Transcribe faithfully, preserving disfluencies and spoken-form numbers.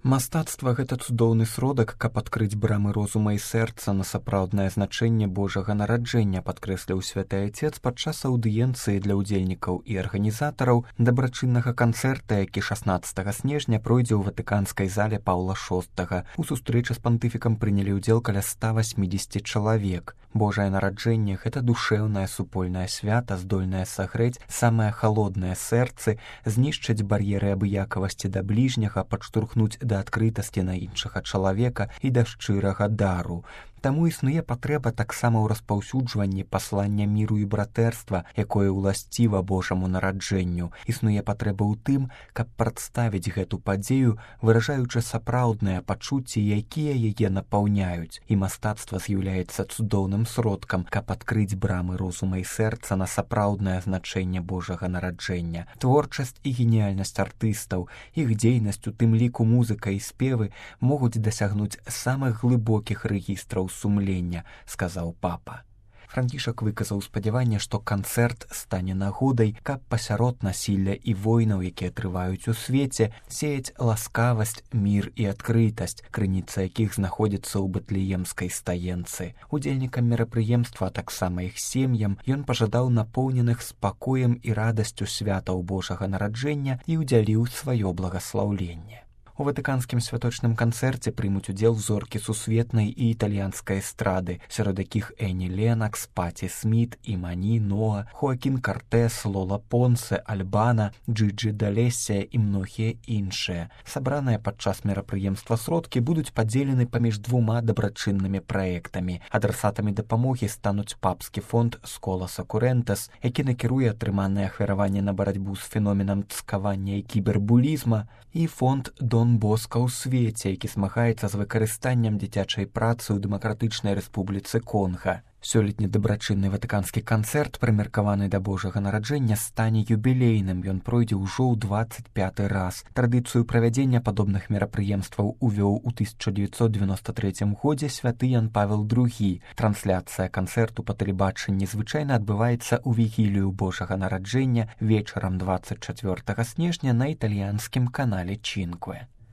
Мастацтва — гэта цудоўны сродак, каб адкрыць брамы розума і сэрца на сапраўднае значэнне Божага нараджэння, падкрэсліў святы Айцец падчас аўдыенцыі для ўдзельнікаў і арганізатараў дабрачыннага канцэрта, які шаснаццатага снежня пройдзе ў ватыканскай зале Паўла шостага. У сустрэчы з пантыфікам прынялі ўдзел каля ста васьмідзесяці чалавек. Божае нараджэнне — гэта душэўнае супольнае свята, здольнае сагрэць самыя халодныя сэрцы, знішчыць бар'еры абыякавасці да бліжняга, падштурхнуць да адкрытасці на іншага чалавека і да шчырага дару. Таму існуе патрэба таксама ў распаўсюджванні паслання міру і братэрства, якое ўласціва Божаму нараджэнню. Існуе патрэба ў тым, каб прадставіць гэту падзею, выражаючы сапраўдныя пачуцці, якія яе напаўняюць. І мастацтва з'яўляецца цудоўным сродкам, каб адкрыць брамы розума і сэрца на сапраўднае значэнне Божага нараджэння. Творчасць і геніяльнасць артыстаў, іх дзейнасць, у тым ліку музыка і спевы, могуць дасягнуць самых глыбокіх рэгістраў сумлення, сказаў папа. Францішак выказаў спадзяванне, што канцэрт стане нагодай, каб пасярод насілля і войнаў, якія трываюць у свеце, сеяць ласкавасць, мір і адкрытасць, крыніца якіх знаходзіцца ў Бэтлеемскай стаенцы. Удзельнікам мерапрыемства, а таксама іх сем'ям, ён пажадаў напоўненых спакоем і радасцю святаў Божага нараджэння і ўдзяліў сваё благаслаўленне. У ватыканскім святочным канцэрце прымуць удзел зоркі сусветнай і італьянскай эстрады, сярод якіх Эні Ленакс, Паці Сміт, Імані, Ноа, Хоакін Картэс, Лола Понсе, Альбана, Джиджи Далесія і многія іншыя. Сабраныя падчас мерапрыемства сродкі будуць падзелены паміж двума дабрачыннымі праектамі. Адрасатамі дапамогі стануць папскі фонд Сколас Акурэнтас, які накіруе атрыманае ахвяраванне на барацьбу з феноменам цкавання і кібербулізма, і фонд Дон Боска ў свеце, які змагаецца з выкарыстаннем дзіцячай працы ў Дэмакратычнай Рэспубліцы Конга. Сёлетні дабрачынны ватыканскі канцэрт, прымеркаваны да Божага нараджэння, стане юбілейным. Ён пройдзе ўжо ў дваццаць пяты раз. Традыцыю правядзення падобных мерапрыемстваў увёў у тысяча дзевяцьсот дзевяносто трэцім годзе святы Ян Павел другі. Трансляцыя канцэрту па тэлебачанні звычайна адбываецца ў вігілію Божага нараджэння вечарам дваццаць чацвёртага снежня на італьянскім канале Чінкве.